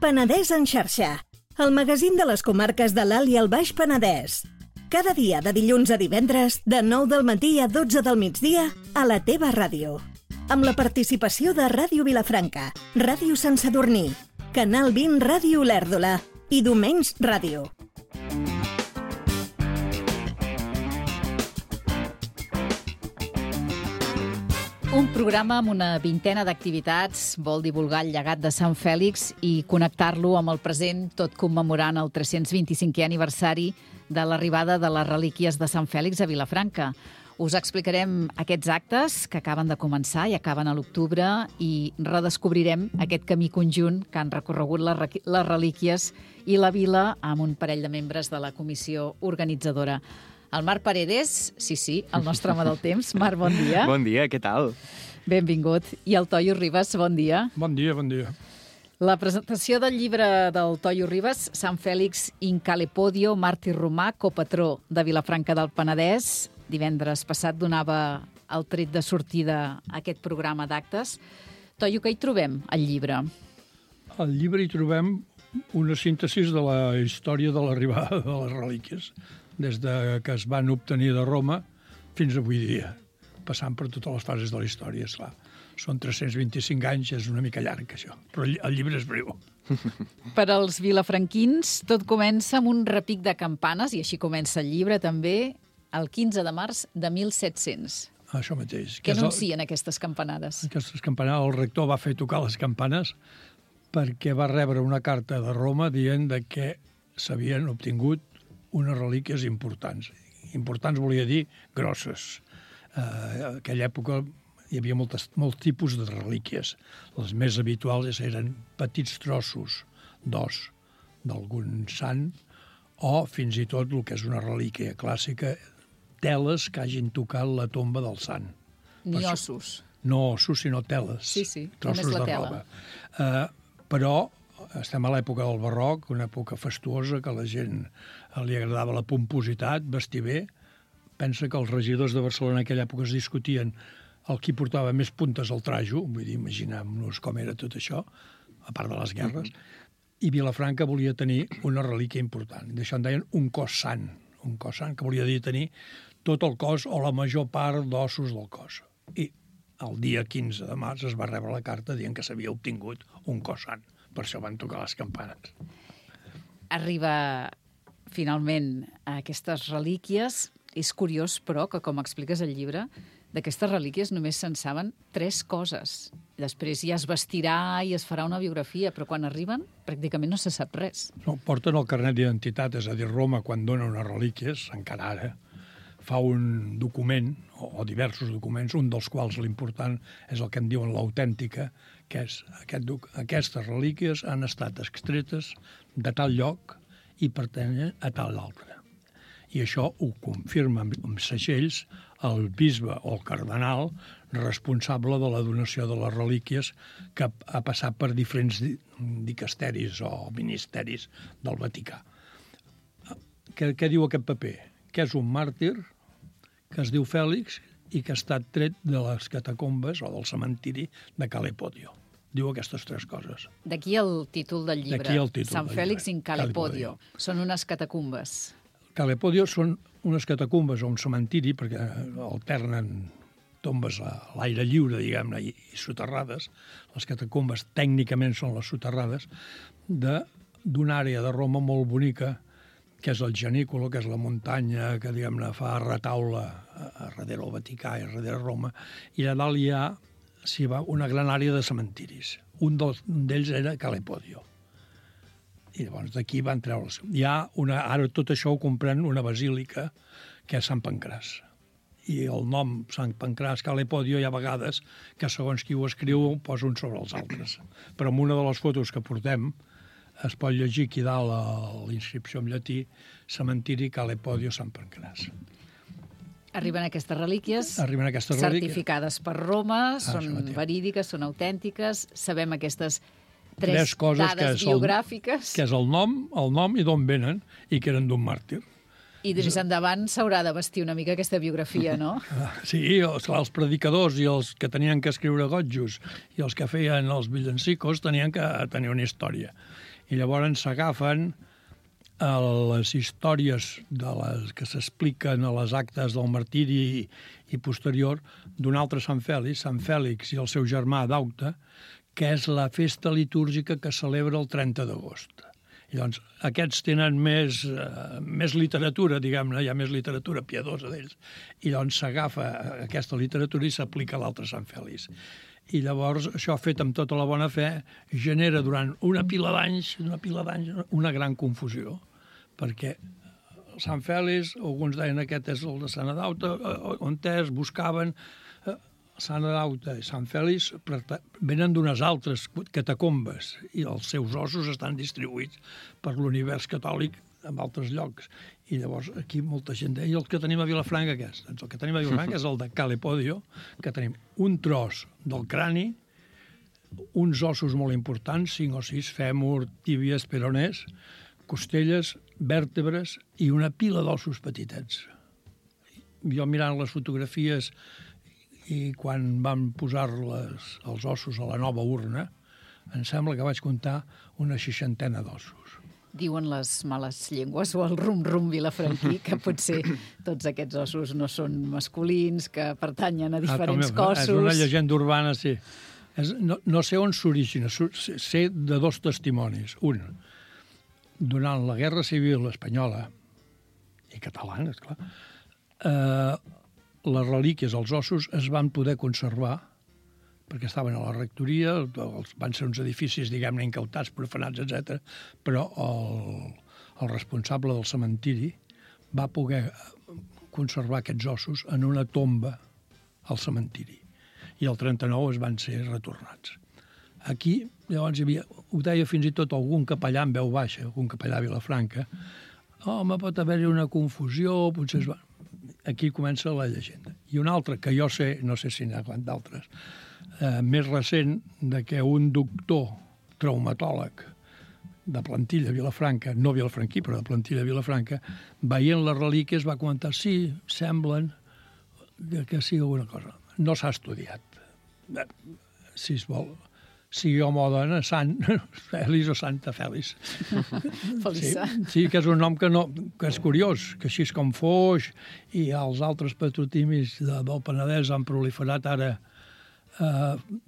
Penedès en xarxa, el magazín de les comarques de l'Alt i el Baix Penedès. Cada dia de dilluns a divendres, de 9 del matí a 12 del migdia, a la teva ràdio. Amb la participació de Ràdio Vilafranca, Ràdio Sant Sadurní, Canal 20 Ràdio Olèrdola i Domenys Ràdio. Un programa amb una vintena d'activitats vol divulgar el llegat de Sant Fèlix i connectar-lo amb el present, tot commemorant el 325è aniversari de l'arribada de les relíquies de Sant Fèlix a Vilafranca. Us explicarem aquests actes que acaben de començar i acaben a l'octubre i redescobrirem aquest camí conjunt que han recorregut les relíquies i la vila amb un parell de membres de la comissió organitzadora. El Marc Paredes, sí, el nostre home del temps. Marc, bon dia. Bon dia, què tal? Benvingut. I el Toio Ribas, bon dia. Bon dia, bon dia. La presentació del llibre del Toio Ribas, Sant Fèlix in Calepodio, màrtir romà, copatró de Vilafranca del Penedès, divendres passat donava el tret de sortida a aquest programa d'actes. Toio, què hi trobem, al llibre? Al llibre hi trobem una síntesi de la història de l'arribada de les relíquies, des que es van obtenir de Roma fins avui dia, passant per totes les fases de la història, esclar. Són 325 anys, és una mica llarg, això, però el llibre és breu. Per als vilafranquins, tot comença amb un repic de campanes, i així comença el llibre també, el 15 de març de 1700. Això mateix. Què anuncien aquestes campanades? Aquestes campanades, el rector va fer tocar les campanes perquè va rebre una carta de Roma dient que s'havien obtingut unes relíquies importants. Importants volia dir grosses. En aquella època hi havia molts tipus de relíquies. Les més habituals eren petits trossos d'os d'algun sant o fins i tot el que és una relíquia clàssica, teles que hagin tocat la tomba del sant. Ni ossos. No ossos, sinó teles. Sí, trossos només la de tela. roba. Però estem a l'època del barroc, una època fastuosa, que a la gent li agradava la pompositat, vestir bé. Pensa que els regidors de Barcelona en aquella època es discutien el qui portava més puntes al trajo, vull dir, imaginem-nos com era tot això, a part de les guerres, i Vilafranca volia tenir una relíquia important. D'això en deien un cos sant, que volia dir tenir tot el cos o la major part d'ossos del cos. I el dia 15 de març es va rebre la carta dient que s'havia obtingut un cos sant. Per això van tocar les campanes. Arriba, finalment, a aquestes relíquies. És curiós, però, que, com expliques al llibre, d'aquestes relíquies només se'n saben 3 coses. Després ja es vestirà i es farà una biografia, però quan arriben pràcticament no se sap res. No, porten el carnet d'identitat, és a dir, Roma, quan dona unes relíquies, encara ara, fa un document, o diversos documents, un dels quals l'important és el que en diuen l'autèntica, que és aquestes relíquies han estat extretes de tal lloc i pertanyen a tal altre. I això ho confirma amb segells el bisbe o el cardenal responsable de la donació de les relíquies que ha passat per diferents dicasteris o ministeris del Vaticà. Què diu aquest paper? Que és un màrtir que es diu Fèlix i que ha estat tret de les catacombes o del cementiri de Calepodio. Diu aquestes 3 coses. D'aquí el títol del llibre. D'aquí el títol Sant del Fèlix llibre. in Calepodio. Són unes catacumbes. Calepodio són unes catacumbes o un cementiri, perquè alternen tombes a l'aire lliure, diguem-ne, i soterrades. Les catacumbes tècnicament són les soterrades d'una àrea de Roma molt bonica, que és el Janícolo, que és la muntanya que, diguem-ne, fa retaula a darrere el Vaticà i a darrere Roma, i a dalt hi ha una gran àrea de cementiris. Un d'ells era Calepodio. I llavors d'aquí van treure's. Ara tot això ho comprèn una basílica, que és Sant Pancràs. I el nom Sant Pancràs, Calepodio, hi ha vegades que segons qui ho escriu ho posa uns sobre els altres. Però en una de les fotos que portem es pot llegir aquí dalt la inscripció en llatí, cementiri Calepodio Sant Pancràs. Arriben aquestes relíquies, certificades per Roma, són verídiques, són autèntiques, sabem aquestes 3 dades biogràfiques. Que és el nom i d'on venen, i que eren d'un màrtir. I des endavant s'haurà de vestir una mica aquesta biografia, no? Sí, els predicadors i els que tenien que escriure gotjos i els que feien els villancicos tenien que tenir una història. I llavors s'agafen a les històries que s'expliquen a les actes del martiri i posterior d'un altre Sant Fèlix i el seu germà Daute, que és la festa litúrgica que celebra el 30 d'agost. I doncs aquests tenen més literatura, diguem-ne, hi ha més literatura piadosa d'ells, i doncs s'agafa aquesta literatura i s'aplica a l'altre Sant Fèlix. I llavors això, fet amb tota la bona fe, genera durant una pila d'anys una gran confusió, perquè Sant Fèlix, alguns deien aquest és el de Sant Adauta, on buscaven Sant Adauta i Sant Fèlix venen d'unes altres catacombes i els seus ossos estan distribuïts per l'univers catòlic en altres llocs. I llavors aquí molta gent deia, i el que tenim a Vilafranca què és? Doncs el que tenim a Vilafranca és el de Calepodio, que tenim un tros del crani, uns ossos molt importants, 5 o 6, fèmur, tíbies, peroners, costelles, vèrtebres i una pila d'ossos petitets. Jo mirant les fotografies i quan vam posar els ossos a la nova urna, em sembla que vaig comptar una 60 d'ossos. Diuen les males llengües o el rum-rum vilafranquí que potser tots aquests ossos no són masculins, que pertanyen a diferents cossos. És una llegenda urbana, sí. No sé on s'origina, sé de 2 testimonis. Un, durant la Guerra Civil espanyola i catalana, esclar, les relíquies, els ossos, es van poder conservar perquè estaven a la rectoria, van ser uns edificis, diguem-ne, incautats, profanats, etc. Però el responsable del cementiri va poder conservar aquests ossos en una tomba al cementiri. I el 39 es van ser retornats. Aquí, llavors, hi havia, ho deia fins i tot algun capellà en veu baixa, algun capellà a Vilafranca, home, pot haver-hi una confusió, potser es va... Aquí comença la llegenda. I una altra, que jo sé, no sé si n'hi ha d'altres, més recent, de que un doctor traumatòleg de plantilla a Vilafranca, no vilafranquí, però de plantilla a Vilafranca, veient les relíquies va comentar, sí, semblen que sigui alguna cosa. No s'ha estudiat. Si es vol... sigui home o dona, Sant Fèlix o Santa Fèlix. Sí, que és un nom que és curiós, que així com Foix i els altres patrotimis del Penedès han proliferat ara.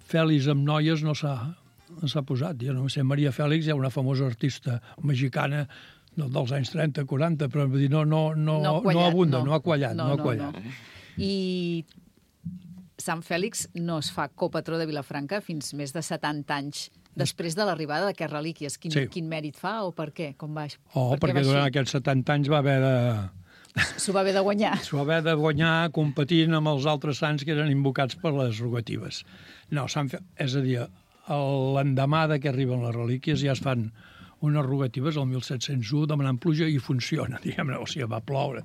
Fèlix amb noies no s'ha posat. Jo no sé, Maria Fèlix, hi ha una famosa artista mexicana dels anys 30-40, però no abunda, no ha quallat. I Sant Fèlix no es fa copatró de Vilafranca fins més de 70 anys després de l'arribada d'aquestes relíquies. Quin mèrit fa o per què? Com va? Perquè durant aquests 70 anys va haver de... S'ho va haver de guanyar. S'ho va haver de guanyar competint amb els altres sants que eren invocats per les rogatives. No, és a dir, l'endemà que arriben les relíquies ja es fan unes rogatives el 1701 demanant pluja i funciona, diguem-ne, o sigui, va ploure.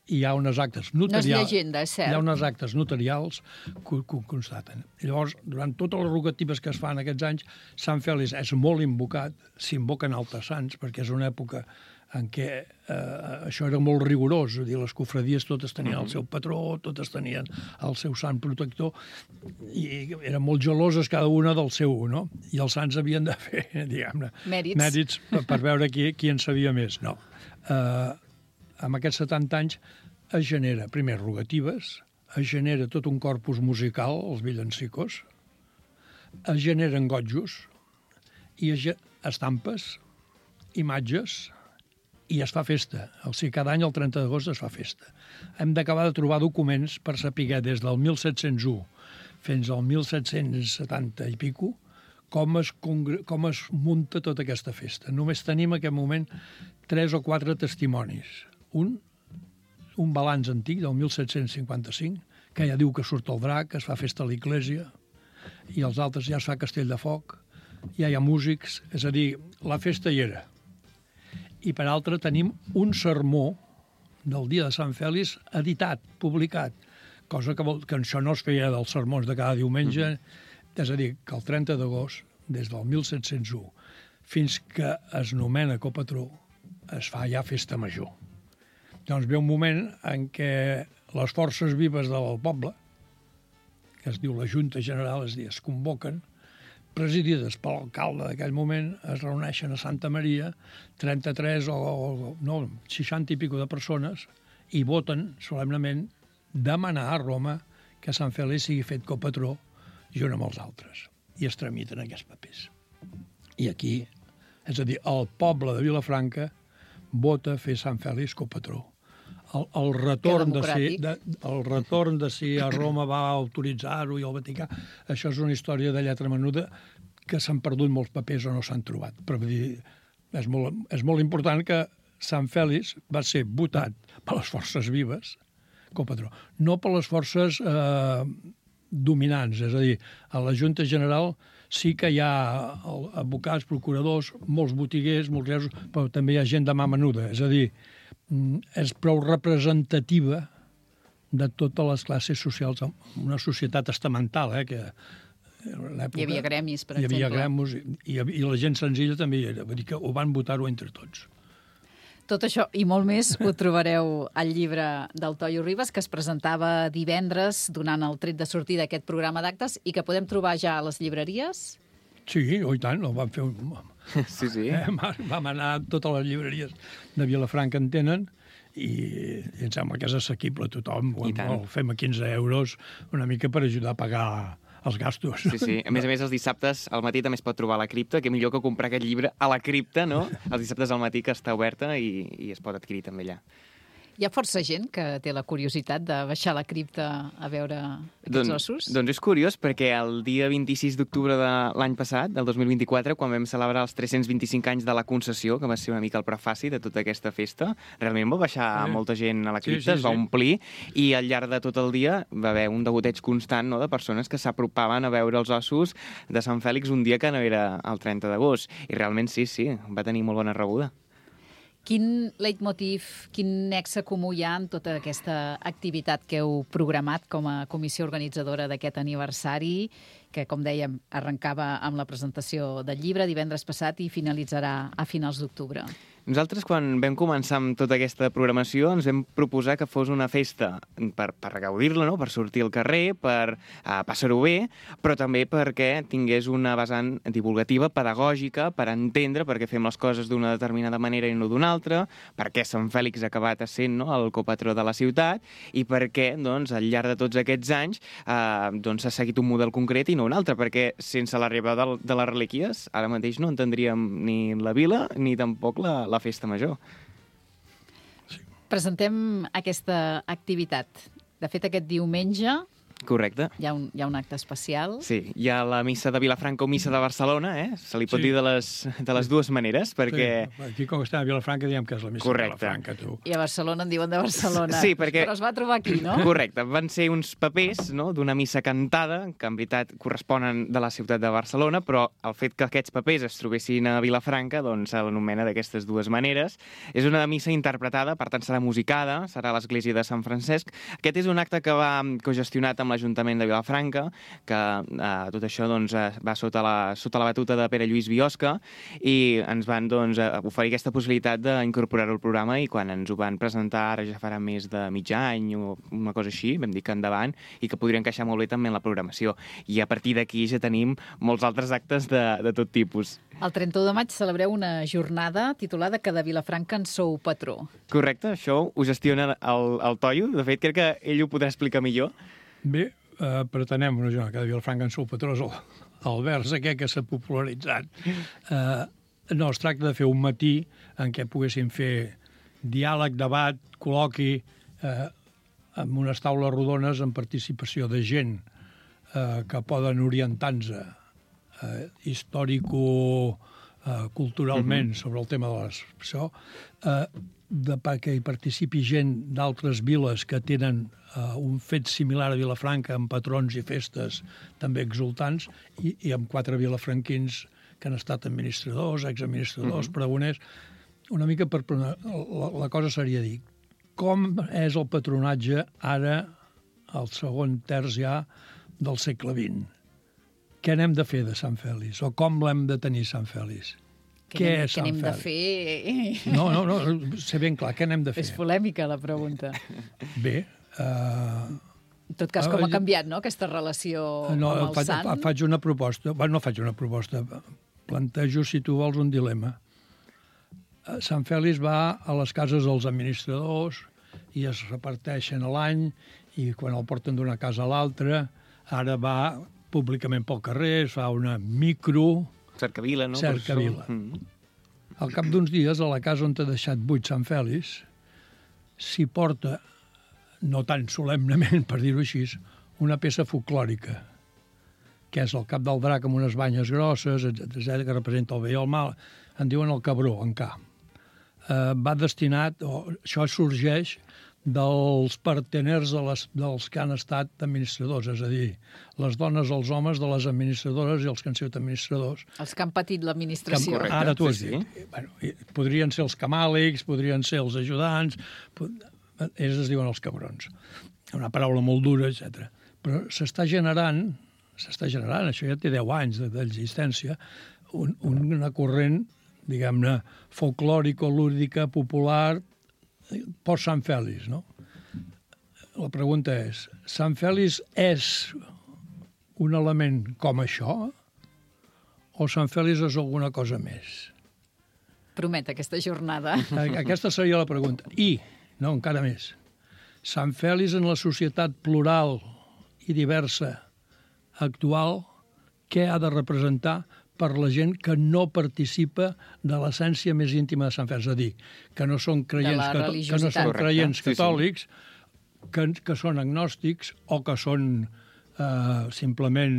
I hi ha unes actes notarials... No és llegenda, és cert. Hi ha unes actes notarials que ho constaten. I llavors, durant totes les rogatives que es fan aquests anys, Sant Fèlix és molt invocat, s'invoquen altres sants, perquè és una època en què això era molt rigorós, és a dir, les cofradies totes tenien el seu patró, totes tenien el seu sant protector, i eren molt geloses cada una del seu, no? I els sants havien de fer, diguem-ne, mèrits per veure qui en sabia més. No. Amb aquests 70 anys es genera, primer, rogatives, es genera tot un corpus musical, els villancicos, es generen gotjos, i estampes, imatges, i es fa festa. O sigui, cada any, el 30 d'agost, es fa festa. Hem d'acabar de trobar documents per saber des del 1701 fins al 1770 i pico com es munta tota aquesta festa. Només tenim en aquest moment 3 o 4 testimonis. Un balanç antic del 1755, que ja diu que surt el drac, que es fa festa a l'església, i els altres ja es fa castell de foc, ja hi ha músics, és a dir, la festa hi era. I per altra tenim un sermó del dia de Sant Fèlix editat, publicat, cosa que això no es feia dels sermons de cada diumenge, és a dir, que el 30 d'agost, des del 1701, fins que es nomena copatró, es fa ja festa major. Doncs ve un moment en què les forces vives del poble, que es diu la Junta General, és a dir, es convoquen presidides per l'alcalde d'aquell moment, es reuneixen a Santa Maria 33 no, 60 i pico de persones i voten solemnement demanar a Roma que Sant Fèlix sigui fet copatró junt amb els altres. I es tramiten aquests papers. I aquí, és a dir, el poble de Vilafranca vota fer Sant Fèlix copatró. El retorn de si a Roma va autoritzar-ho i al Vaticà, això és una història de lletra menuda que s'han perdut molts papers o no s'han trobat. Però és molt important que Sant Fèlix va ser votat per les forces vives copatró, no per les forces dominants, és a dir, a la Junta General sí que hi ha advocats, procuradors, molts botiguers, molts reus, però també hi ha gent de mà menuda, és a dir, és prou representativa de totes les classes socials, una societat estamental, que hi havia gremis, per exemple. Hi havia gremis i la gent senzilla també hi era, vull dir que ho van votar-ho entre tots. Tot això i molt més ho trobareu al llibre del Toio Ribas, que es presentava divendres donant el tret de sortida d'aquest programa d'actes i que podem trobar ja a les llibreries? Sí, i tant, ho vam fer. Sí. Vam anar a totes les llibreries de Vilafranca en tenen i em sembla que és assequible a tothom. Ho fem a 15 euros una mica per ajudar a pagar els gastos. Sí. A més, els dissabtes al matí també es pot trobar a la cripta, que millor que comprar aquest llibre a la cripta, no? Els dissabtes al matí que està oberta i es pot adquirir també allà. Hi ha força gent que té la curiositat de baixar a la cripta a veure aquests ossos? Doncs és curiós, perquè el dia 26 d'octubre de l'any passat, del 2024, quan vam celebrar els 325 anys de la concessió, que va ser una mica el prefaci de tota aquesta festa, realment va baixar molta gent a la cripta, es va omplir, i al llarg de tot el dia va haver un degoteig constant, no?, de persones que s'apropaven a veure els ossos de Sant Fèlix un dia que no era el 30 d'agost. I realment sí, va tenir molt bona rebuda. Quin leitmotiv, quin nexe comú hi ha en tota aquesta activitat que heu programat com a comissió organitzadora d'aquest aniversari, que, com dèiem, arrencava amb la presentació del llibre divendres passat i finalitzarà a finals d'octubre? Nosaltres, quan vam començar amb tota aquesta programació, ens vam proposar que fos una festa per gaudir-la, no?, per sortir al carrer, per passar-ho bé, però també perquè tingués una vessant divulgativa, pedagògica, per entendre per què fem les coses d'una determinada manera i no d'una altra, per què Sant Fèlix ha acabat essent, no?, el copatró de la ciutat, i per què, doncs, al llarg de tots aquests anys s'ha seguit un model concret i no un altre, perquè sense l'arribada de les relíquies, ara mateix no entendríem ni la vila ni tampoc la festa major. Presentem aquesta activitat. De fet, aquest diumenge Correcte. Hi ha un acte especial. Sí, hi ha la missa de Vilafranca o missa de Barcelona, se li pot dir de les dues maneres, perquè... Sí. Aquí, com estem a Vilafranca, diem que és la missa de Vilafranca, tu. I a Barcelona en diuen de Barcelona. Sí, perquè... Però es va trobar aquí, no? Correcte. Van ser uns papers, no?, d'una missa cantada, que en veritat corresponen de la ciutat de Barcelona, però el fet que aquests papers es trobessin a Vilafranca, doncs se l'anomena d'aquestes dues maneres. És una missa interpretada, per tant serà musicada, serà a l'església de Sant Francesc. Aquest és un acte que va cogestionat amb l'Ajuntament de Vilafranca, que tot això doncs, va sota la batuta de Pere Lluís Biosca, i ens van oferir aquesta possibilitat d'incorporar-ho al programa, i quan ens ho van presentar, ara ja farà més de mig any o una cosa així, vam dir que endavant, i que podria encaixar molt bé també en la programació. I a partir d'aquí ja tenim molts altres actes de tot tipus. El 31 de maig celebreu una jornada titulada Que de Vilafranca en sou patró. Correcte, això ho gestiona el Toio. De fet, crec que ell ho podrà explicar millor. Bé, pretenem una jornada que de Vilafranca en sou patró, el vers aquest que s'ha popularitzat. No, es tracta de fer un matí en què poguéssim fer diàleg, debat, col·loqui, amb unes taules rodones en participació de gent que poden orientar-nos històrico-culturalment sobre el tema de l'expressió, perquè hi participi gent d'altres viles que tenen un fet similar a Vilafranca, amb patrons i festes també exultants, i amb 4 vilafranquins que han estat administradors, exadministradors, pregoners. Una mica la cosa seria dir com és el patronatge ara, al segon terç ja del segle XX. Què n'hem de fer de Sant Fèlix? O com l'hem de tenir, Sant Fèlix? Què és Sant Fèlix? Què n'hem de fer? No, sé ben clar, què n'hem de fer? És polèmica, la pregunta. Bé, En tot cas, com ha canviat, no?, aquesta relació amb el sant? Faig una proposta. No faig una proposta. Plantejo, si tu vols, un dilema. Sant Fèlix va a les cases dels administradors i es reparteixen a l'any i quan el porten d'una casa a l'altra, ara va públicament pel carrer, es fa una micro... Cercavila, no? Cercavila. Al cap d'uns dies, a la casa on t'ha deixat buit Sant Fèlix, s'hi porta, no tan solemnement, per dir-ho així, una peça folclòrica, que és el cap del drac amb unes banyes grosses, etc., que representa el bé i el mal. En diuen el cabró, en K. Va destinat, això sorgeix dels parteners dels que han estat administradors, és a dir, les dones, els homes de les administradores i els que han sigut administradors. Els que han patit l'administració. Ara tu has dit. Bueno, podrien ser els camàlics, podrien ser els ajudants, ells es diuen els cabrons. Una paraula molt dura, etc. Però s'està generant, això ja té 10 anys d'existència, una corrent, diguem-ne, folclòrico-lúdica, popular, post-Sant Fèlix, no? La pregunta és, Sant Fèlix és un element com això o Sant Fèlix és alguna cosa més? Promet aquesta jornada. Aquesta seria la pregunta. I, no, encara més, Sant Fèlix en la societat plural i diversa actual, què ha de representar per la gent que no participa de l'essència més íntima de Sant Fèlix, és a dir, que no són creients, catòlics, que són agnòstics o que són simplement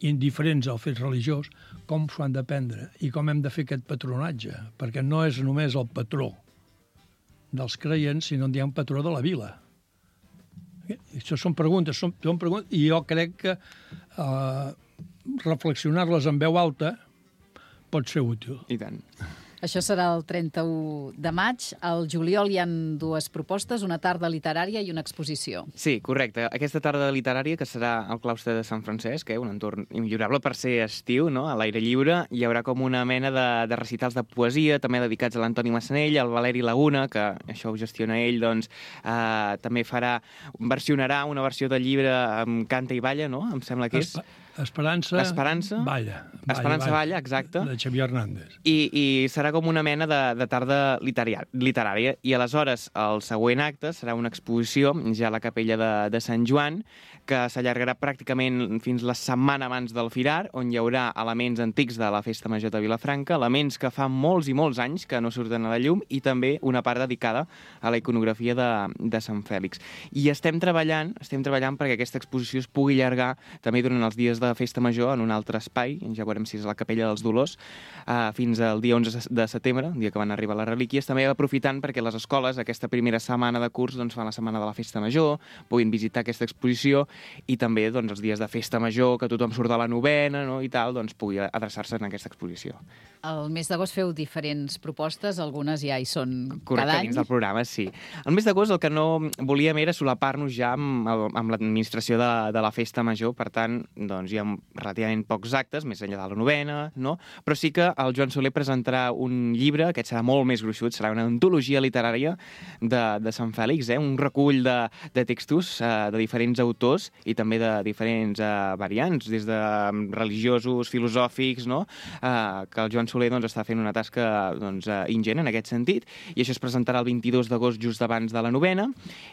indiferents al fet religiós, com s'ho han de prendre i com hem de fer aquest patronatge, perquè no és només el patró dels creients, sinó que hi ha un patró de la vila. Això són preguntes, i jo crec que reflexionar-les en veu alta pot ser útil. I tant. Això serà el 31 de maig. Al juliol hi ha 2 propostes, una tarda literària i una exposició. Sí, correcte. Aquesta tarda literària, que serà al claustre de Sant Francesc, un entorn immillorable per ser estiu, no?, a l'aire lliure, hi haurà com una mena de recitals de poesia, també dedicats a l'Antoni Massanell, al Valeri Laguna, que això ho gestiona ell, doncs també versionarà una versió del llibre amb Canta i Balla, no?, em sembla que és... Esperança Balla, exacte. De Xavier Hernández. I serà com una mena de tarda literària. I aleshores el següent acte serà una exposició ja a la capella de Sant Joan, que s'allargarà pràcticament fins la setmana abans del Firar, on hi haurà elements antics de la Festa Major de Vilafranca, elements que fa molts i molts anys que no surten a la llum, i també una part dedicada a la iconografia de Sant Fèlix. I estem treballant perquè aquesta exposició es pugui allargar també durant els dies de Festa Major en un altre espai, ja veurem si és la Capella dels Dolors, fins al dia 11 de setembre, el dia que van arribar les relíquies, també aprofitant perquè les escoles aquesta primera setmana de curs doncs, fan la setmana de la Festa Major, puguin visitar aquesta exposició, i també doncs, els dies de Festa Major, que tothom surt de la novena, no?, i tal, doncs pugui adreçar-se en aquesta exposició. Al mes d'agost feu diferents propostes, algunes ja hi són cada any. Correcte, dins del programa, sí. El mes d'agost el que no volíem era solapar-nos ja amb l'administració de la Festa Major, per tant, doncs hi ha relativament pocs actes, més enllà de la novena, no? Però sí que el Joan Soler presentarà un llibre, aquest serà molt més gruixut, serà una antologia literària de Sant Fèlix, un recull de textos de diferents autors i també de diferents variants, des de religiosos, filosòfics, no? Que el Joan Soler doncs, està fent una tasca doncs, ingent en aquest sentit, i això es presentarà el 22 d'agost just abans de la novena,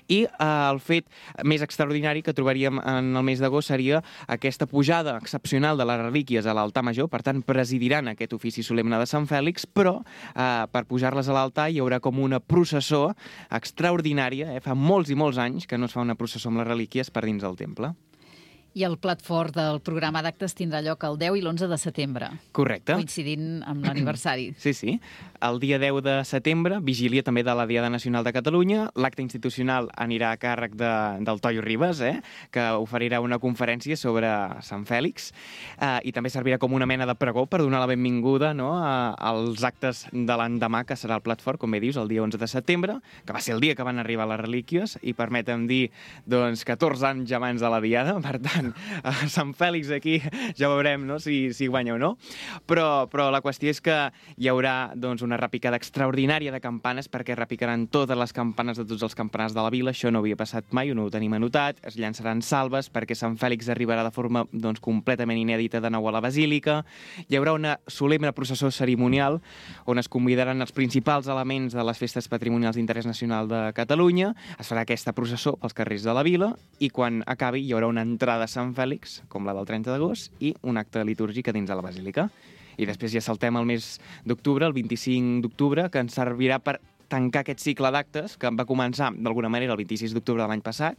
i el fet més extraordinari que trobaríem en el mes d'agost seria aquesta pujada excepcional de les relíquies a l'altar major, per tant presidiran aquest ofici solemne de Sant Fèlix, però per pujar-les a l'altar hi haurà com una processó extraordinària, fa molts i molts anys que no es fa una processó amb les relíquies per dins del temple. I el plat fort del programa d'actes tindrà lloc el 10 i l'11 de setembre. Correcte. Coincidint amb l'aniversari. Sí. El dia 10 de setembre, vigília també de la Diada Nacional de Catalunya, l'acte institucional anirà a càrrec del Toio Ribas, que oferirà una conferència sobre Sant Fèlix, i també servirà com una mena de pregó per donar la benvinguda, no?, als actes de l'endemà, que serà el plat fort, com bé dius, el dia 11 de setembre, que va ser el dia que van arribar les relíquies, i permetem dir, doncs, 14 anys abans de la Diada, per tant, tant, a Sant Fèlix aquí ja veurem, no?, si guanya o no. Però la qüestió és que hi haurà doncs, una repicada extraordinària de campanes, perquè repicaran totes les campanes de tots els campanars de la vila. Això no havia passat mai, no ho tenim anotat. Es llançaran salves perquè Sant Fèlix arribarà de forma doncs, completament inèdita de nou a la Basílica. Hi haurà una solemne processó cerimonial on es convidaran els principals elements de les festes patrimonials d'interès nacional de Catalunya. Es farà aquesta processó pels carrers de la vila i quan acabi hi haurà una entrada a Sant Fèlix, com la del 30 d'agost, i un acte litúrgic a dins de la Basílica. I després ja saltem al mes d'octubre, el 25 d'octubre, que ens servirà per tancar aquest cicle d'actes que va començar d'alguna manera el 26 d'octubre de l'any passat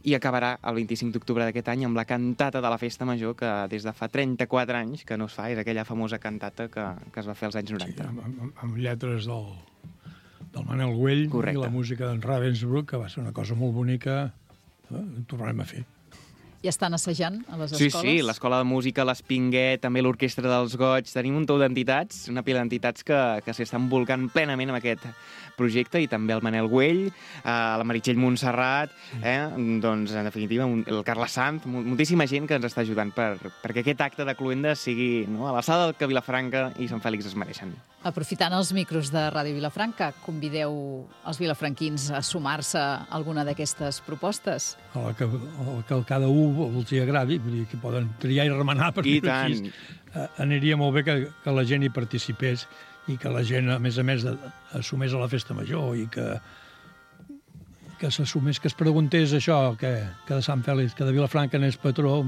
i acabarà el 25 d'octubre d'aquest any amb la cantata de la Festa Major, que des de fa 34 anys que no es fa, és aquella famosa cantata que es va fer als anys 90. Sí, amb lletres del Manel Güell. Correcte. I la música d'en Ravensbrück, que va ser una cosa molt bonica, ho tornarem a fer. I estan assajant a les escoles? Sí, l'Escola de Música, l'Espinguet, també l'Orquestra dels Goig. Tenim un tou d'entitats, una pila d'entitats que s'estan volcant plenament amb aquest projecte, i també el Manel Güell, la Meritxell Montserrat, doncs, en definitiva, el Carles Sanz, moltíssima gent que ens està ajudant perquè aquest acte de Cluenda sigui, no?, a l'alçada del que Vilafranca i Sant Fèlix es mereixen. Aprofitant els micros de Ràdio Vilafranca, convideu els vilafranquins a sumar-se a alguna d'aquestes propostes? El que cada un els hi agradi, vull dir que poden triar i remenar, perquè I tant. Aniria molt bé que la gent hi participés i que la gent, a més, assumés a la Festa Major i que s'assumés, que es preguntés això, que de Sant Fèlix, que de Vilafranca n'és patró,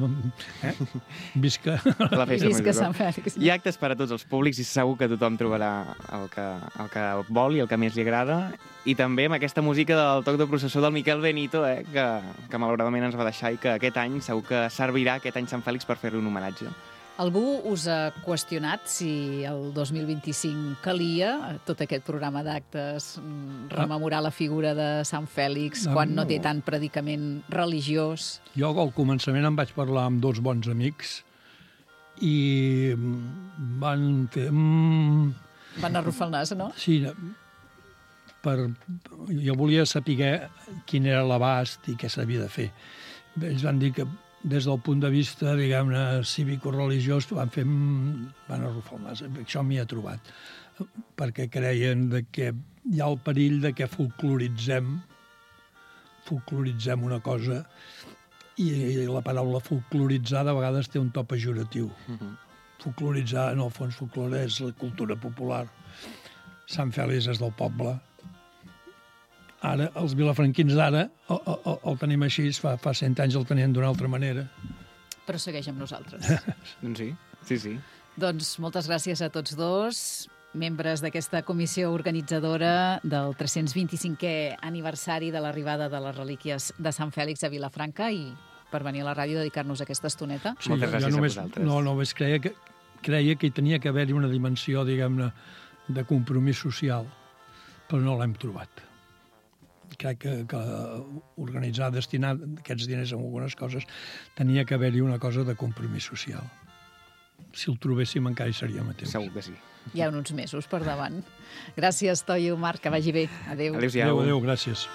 visca La Festa Visca Major. Sant Fèlix. Hi ha actes per a tots els públics i segur que tothom trobarà el que vol i el que més li agrada. I també amb aquesta música del toc de processó del Miquel Benito, que malauradament ens va deixar i que aquest any segur que servirà, aquest any Sant Fèlix, per fer-li un homenatge. Algú us ha qüestionat si el 2025 calia tot aquest programa d'actes, rememorar la figura de Sant Fèlix quan no té tant predicament religiós? Jo al començament em vaig parlar amb dos bons amics i van fer... Van arrufar el nas, no? Sí, jo volia saber quin era l'abast i què s'havia de fer. Ells van dir que des del punt de vista, diguem-ne, cívico-religiós, van arrufar el nas. Això m'hi ha trobat. Perquè creien que hi ha el perill de que folcloritzem una cosa i la paraula folcloritzar de vegades té un to pejoratiu. Folcloritzar, en el fons, folclore és la cultura popular. Sant Fèlix és del poble. Ara, els vilafranquins d'ara el tenim així, fa 100 anys el tenien d'una altra manera. Però segueix amb nosaltres. Doncs sí. Doncs moltes gràcies a tots dos, membres d'aquesta comissió organitzadora del 325è aniversari de l'arribada de les relíquies de Sant Fèlix a Vilafranca, i per venir a la ràdio a dedicar-nos aquesta estoneta. Sí, moltes gràcies a vosaltres. Només creia que hi tenia que haver-hi una dimensió, diguem-ne, de compromís social, però no l'hem trobat. Crec que organitzar, destinar aquests diners a algunes coses, tenia que haver-hi una cosa de compromís social. Si el trobéssim encara hi seríem a temps. Segur que sí. Hi ha uns mesos per davant. Gràcies, Toio, Marc, que vagi bé. Adéu. Adéu-siau. Adéu, gràcies.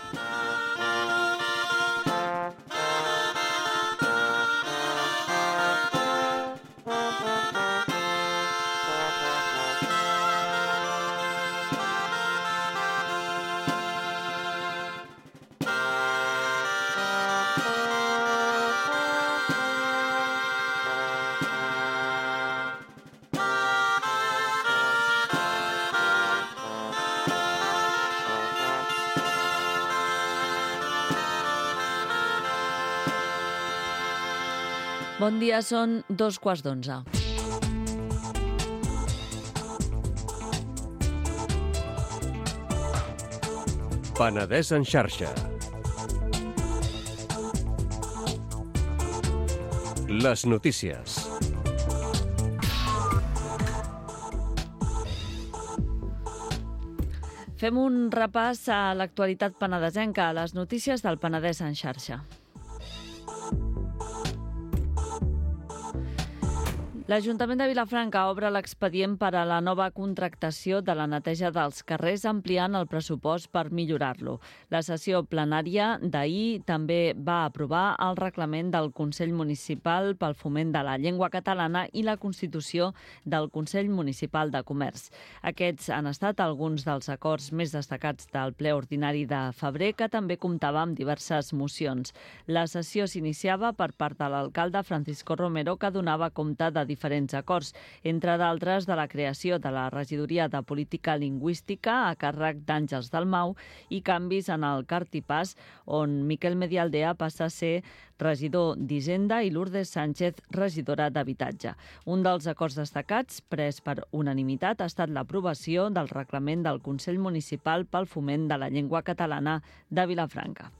Bon dia, són 2:15. Penedès en xarxa. Les notícies. Fem un repàs a l'actualitat penedesenca, a les notícies del Penedès en xarxa. L'Ajuntament de Vilafranca obre l'expedient per a la nova contractació de la neteja dels carrers, ampliant el pressupost per millorar-lo. La sessió plenària d'ahir també va aprovar el reglament del Consell Municipal pel foment de la llengua catalana i la constitució del Consell Municipal de Comerç. Aquests han estat alguns dels acords més destacats del ple ordinari de febrer, que també comptava amb diverses mocions. La sessió s'iniciava per part de l'alcalde Francisco Romero, que donava compte de diferents acords, entre d'altres de la creació de la regidoria de política lingüística a càrrec d'Àngels Dalmau i canvis en el Cartipàs, on Miquel Medialdea passa a ser regidor d'Hisenda i Lourdes Sánchez, regidora d'Habitatge. Un dels acords destacats, pres per unanimitat, ha estat l'aprovació del reglament del Consell Municipal pel foment de la llengua catalana de Vilafranca.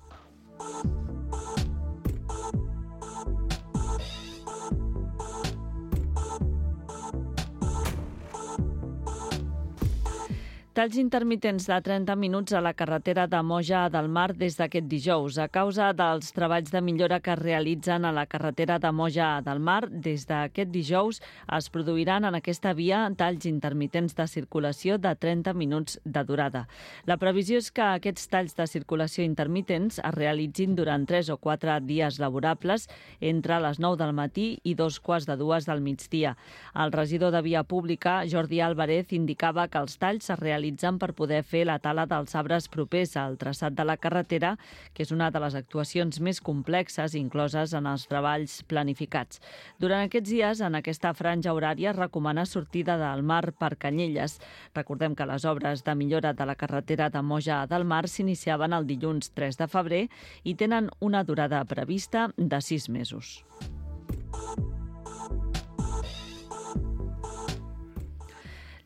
Talls intermitents de 30 minuts a la carretera de Moja del Mar des d'aquest dijous. A causa dels treballs de millora que es realitzen a la carretera de Moja del Mar, des d'aquest dijous es produiran en aquesta via talls intermitents de circulació de 30 minuts de durada. La previsió és que aquests talls de circulació intermitents es realitzin durant 3 o 4 dies laborables entre les 9 del matí i 2:15 del migdia. El regidor de Via Pública, Jordi Álvarez, indicava que els talls es realitzen per poder fer la tala dels arbres propers al traçat de la carretera, que és una de les actuacions més complexes incloses en els treballs planificats. Durant aquests dies, en aquesta franja horària, es recomana sortida del Mar per Canyelles. Recordem que les obres de millora de la carretera de Moja del Mar s'iniciaven el dilluns 3 de febrer i tenen una durada prevista de 6 mesos.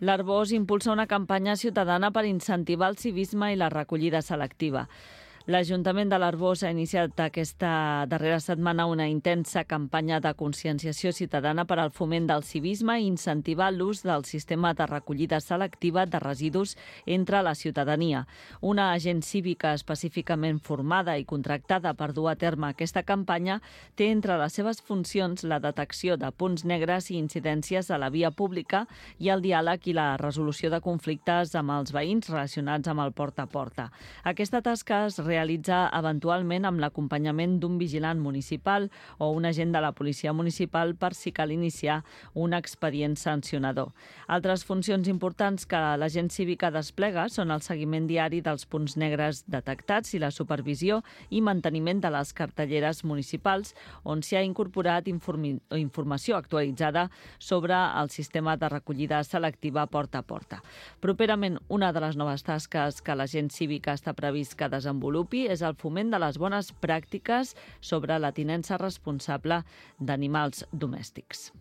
L'Arboç impulsa una campanya ciutadana per incentivar el civisme i la recollida selectiva. L'Ajuntament de l'Arboç ha iniciat aquesta darrera setmana una intensa campanya de conscienciació ciutadana per al foment del civisme i incentivar l'ús del sistema de recollida selectiva de residus entre la ciutadania. Una agent cívica específicament formada i contractada per dur a terme aquesta campanya té entre les seves funcions la detecció de punts negres i incidències a la via pública i el diàleg i la resolució de conflictes amb els veïns relacionats amb el porta a porta. Aquesta tasca es realitza eventualment amb l'acompanyament d'un vigilant municipal o un agent de la policia municipal per si cal iniciar un expedient sancionador. Altres funcions importants que l'agent cívica desplega són el seguiment diari dels punts negres detectats i la supervisió i manteniment de les cartelleres municipals, on s'hi ha incorporat informació actualitzada sobre el sistema de recollida selectiva porta a porta. Properament, una de les noves tasques que l'agent cívica està previst que desenvolupi és el foment de les bones pràctiques sobre la tinença responsable d'animals domèstics.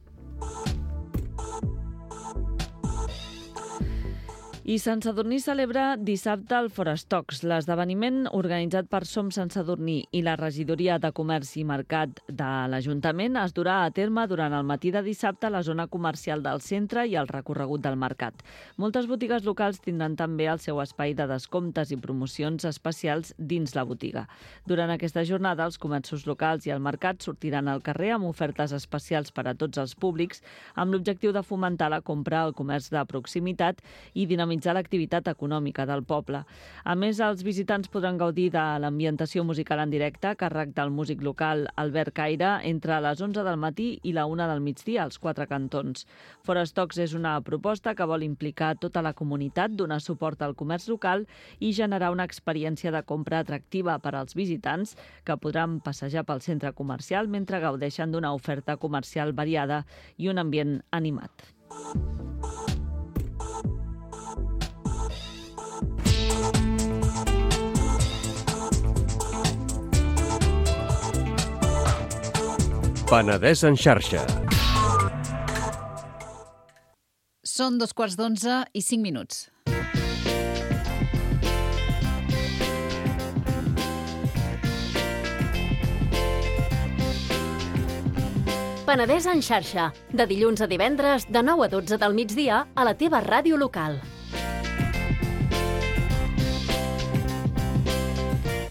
I Sant Sadurní celebra dissabte el Forestocs. L'esdeveniment organitzat per Som Sant Sadurní i la Regidoria de Comerç i Mercat de l'Ajuntament es durà a terme durant el matí de dissabte a la zona comercial del centre i al recorregut del mercat. Moltes botigues locals tindran també el seu espai de descomptes i promocions especials dins la botiga. Durant aquesta jornada, els comerços locals i el mercat sortiran al carrer amb ofertes especials per a tots els públics, amb l'objectiu de fomentar la compra al comerç de proximitat i dinamitzar l'activitat econòmica del poble. A més, els visitants podran gaudir de l'ambientació musical en directe a càrrec del músic local Albert Caire entre les 11 del matí i la 1 del migdia als 4 cantons. Forestocs és una proposta que vol implicar tota la comunitat, donar suport al comerç local i generar una experiència de compra atractiva per als visitants que podran passejar pel centre comercial mentre gaudeixen d'una oferta comercial variada i un ambient animat. Penedès en xarxa. Són 11:15 i 5 minuts. Penedès en xarxa, de dilluns a divendres de 9 a 12 del migdia a la teva ràdio local.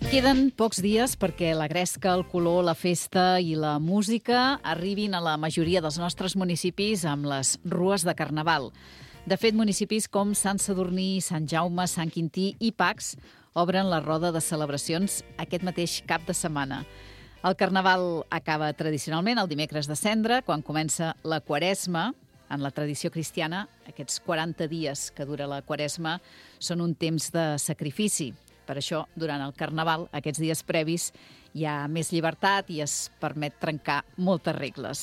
Queden pocs dies perquè la gresca, el color, la festa i la música arribin a la majoria dels nostres municipis amb les rues de Carnaval. De fet, municipis com Sant Sadurní, Sant Jaume, Sant Quintí i Pacs obren la roda de celebracions aquest mateix cap de setmana. El Carnaval acaba tradicionalment el dimecres de Cendra, quan comença la Quaresma. En la tradició cristiana, aquests 40 dies que dura la Quaresma són un temps de sacrifici. Per això, durant el Carnaval, aquests dies previs, hi ha més llibertat i es permet trencar moltes regles.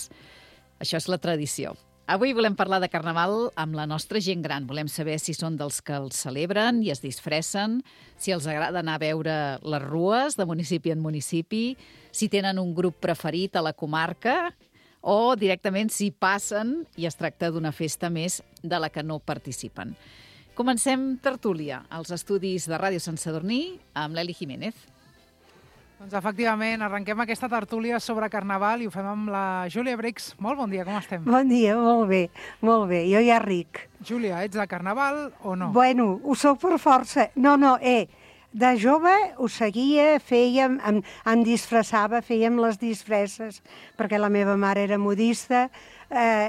Això és la tradició. Avui volem parlar de Carnaval amb la nostra gent gran. Volem saber si són dels que el celebren i es disfressen, si els agrada anar a veure les rues de municipi en municipi, si tenen un grup preferit a la comarca o directament si passen i es tracta d'una festa més de la que no participen. Comencem tertúlia als estudis de Ràdio Sant Sadurní amb l'Eli Jiménez. Doncs efectivament, arrenquem aquesta tertúlia sobre Carnaval i ho fem amb la Júlia Brix. Molt bon dia, com estem? Bon dia, molt bé, molt bé. Jo ja ric. Júlia, ets de Carnaval o no? Bueno, ho sóc per força. No, de jove ho seguia, fèiem, em disfressava, fèiem les disfresses, perquè la meva mare era modista,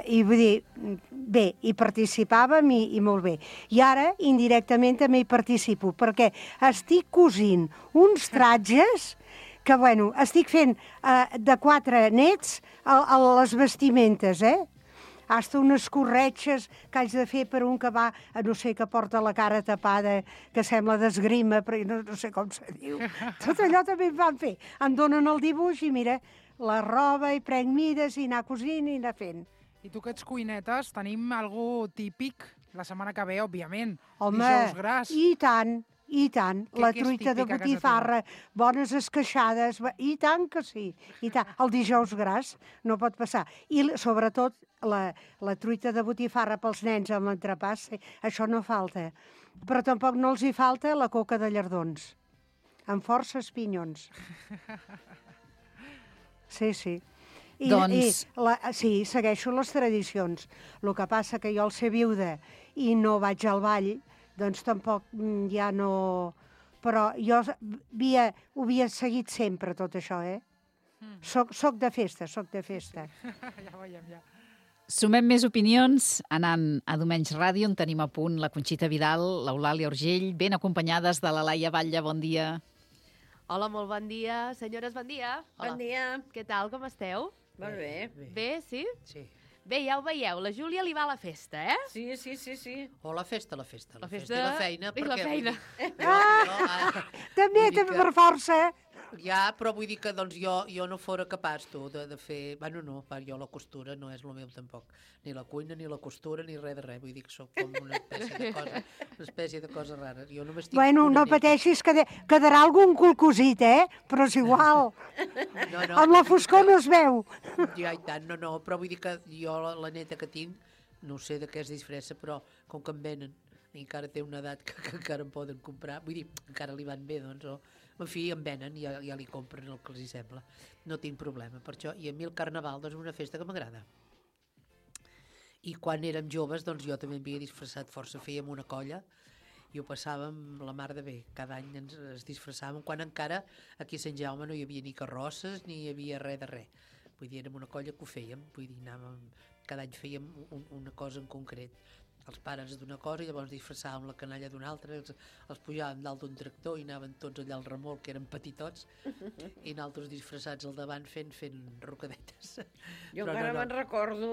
i vull dir, bé, hi participàvem i molt bé. I ara, indirectament, també hi participo, perquè estic cosint uns tratges que, bueno, estic fent de 4 nets a les vestimentes, Hasta unes corretxes que haig de fer per un que va, no sé, que porta la cara tapada, que sembla d'esgrima, però no sé com se diu. Tot allò també em van fer. Em donen el dibuix i mira, la roba i prenc mides i anar cosint i anar fent. I tu que ets cuinetes, tenim algú típic la setmana que ve, òbviament. Home, dijous gras. I tant. I tant, la truita de botifarra, bones esqueixades, i tant que sí, i tant. El dijous gras no pot passar. I sobretot la truita de botifarra pels nens amb l'entrepàs, això no falta. Però tampoc no els hi falta la coca de llardons, amb forces pinyons. Sí. Sí, segueixo les tradicions. El que passa que jo al ser viuda i no vaig al ball, doncs tampoc ja no... Però jo ho havia seguit sempre, tot això, Soc de festa. Ja veiem, ja. Sumem més opinions anant a Domenys Ràdio, on tenim a punt la Conxita Vidal, l'Eulàlia Urgell, ben acompanyades de la Laia Batlle. Bon dia. Hola, molt bon dia. Senyores, bon dia. Hola. Bon dia. Què tal, com esteu? Molt bé. Bé, sí? Sí. Bé, ja ho veieu, la Júlia li va a la festa, Sí. O la festa. La festa i la feina. I la feina. També per força. Ja, però vull dir que doncs, jo no fora capaç, de fer... Bueno, no, jo la costura no és el meu tampoc. Ni la cuina, ni la costura, ni res de res. Vull dir que sóc com una espècie de cosa rara. Jo no m'estic... Bueno, no pateixis, quedarà algun culcosit, però és igual. No. Amb la foscor no es veu. Ja, i tant, no, però vull dir que jo, la neta que tinc, no sé de què es disfressa, però com que em venen, i encara té una edat que encara em poden comprar, vull dir, encara li van bé, doncs, en fi, em venen i ja li compren el que els hi sembla. No tinc problema per això. I a mi el Carnaval doncs, és una festa que m'agrada. I quan érem joves, doncs jo també m'havia disfressat força. Fèiem una colla i ho passàvem la mar de bé. Cada any ens disfressàvem, quan encara aquí a Sant Jaume no hi havia ni carrosses ni hi havia res de res. Vull dir, érem una colla que ho fèiem. Vull dir, cada any fèiem una cosa en concret. Els pares d'una cosa i llavors disfressàvem la canalla d'una altra, els pujàvem dalt d'un tractor i anaven tots allà al remolc, que eren petitots, i nosaltres disfressats al davant fent rocadetes. Jo encara me'n recordo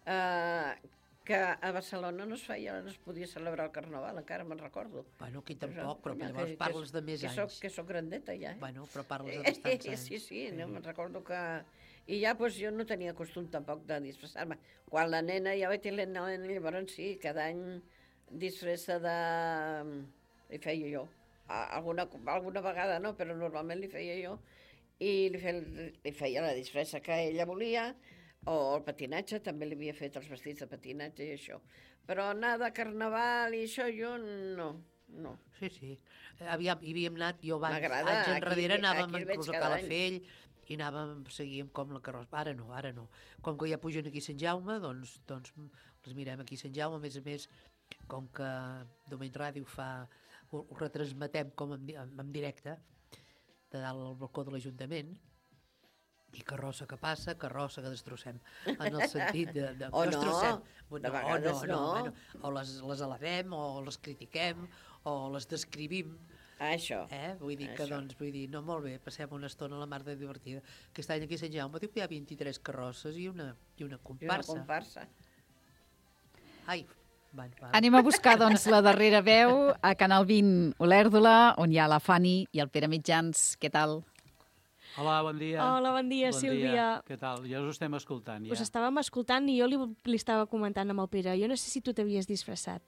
que a Barcelona no es podia celebrar el Carnaval, encara me'n recordo. Bueno, aquí tampoc, però llavors parles de més anys. Que soc grandeta ja. Bueno, però parles de bastants anys. Sí, no, me'n recordo que... I ja jo no tenia costum tampoc de disfressar-me. Quan la nena, ja vaig tenir la nena, llavors sí, cada any disfressa de... Li feia jo. Alguna vegada no, però normalment li feia jo. I li feia la disfressa que ella volia, o el patinatge, també li havia fet els vestits de patinatge i això. Però anar de Carnaval i això jo no. Sí. Hi havíem anat, jo anys enrere anàvem inclús a Calafell, i seguíem com la carrossa. Ara no. Com que ja pugen aquí a Sant Jaume, doncs les mirem aquí a Sant Jaume. A més, com que Domeny Ràdio ho retransmetem com en directe, de dalt al balcó de l'Ajuntament, i carrossa que passa, carrossa que destrossem, en el sentit de O no, destrossem. de vegades no. Bueno, o les alabem, o les critiquem, o les descrivim. Això. Vull dir que, doncs, no, molt bé, passem una estona a la mar de divertida. Aquest any aquí a Sant Jaume diu que hi ha 23 carrosses i una comparsa. I una comparsa. Ai, va. Anem a buscar, doncs, la darrera veu a Canal 20 Olèrdola, on hi ha la Fanny i el Pere Mitjans. Què tal? Hola, bon dia. Hola, bon dia, Sílvia. Què tal? Ja us estem escoltant, ja. Us estàvem escoltant i jo li estava comentant amb el Pere. Jo no sé si tu t'havies disfressat.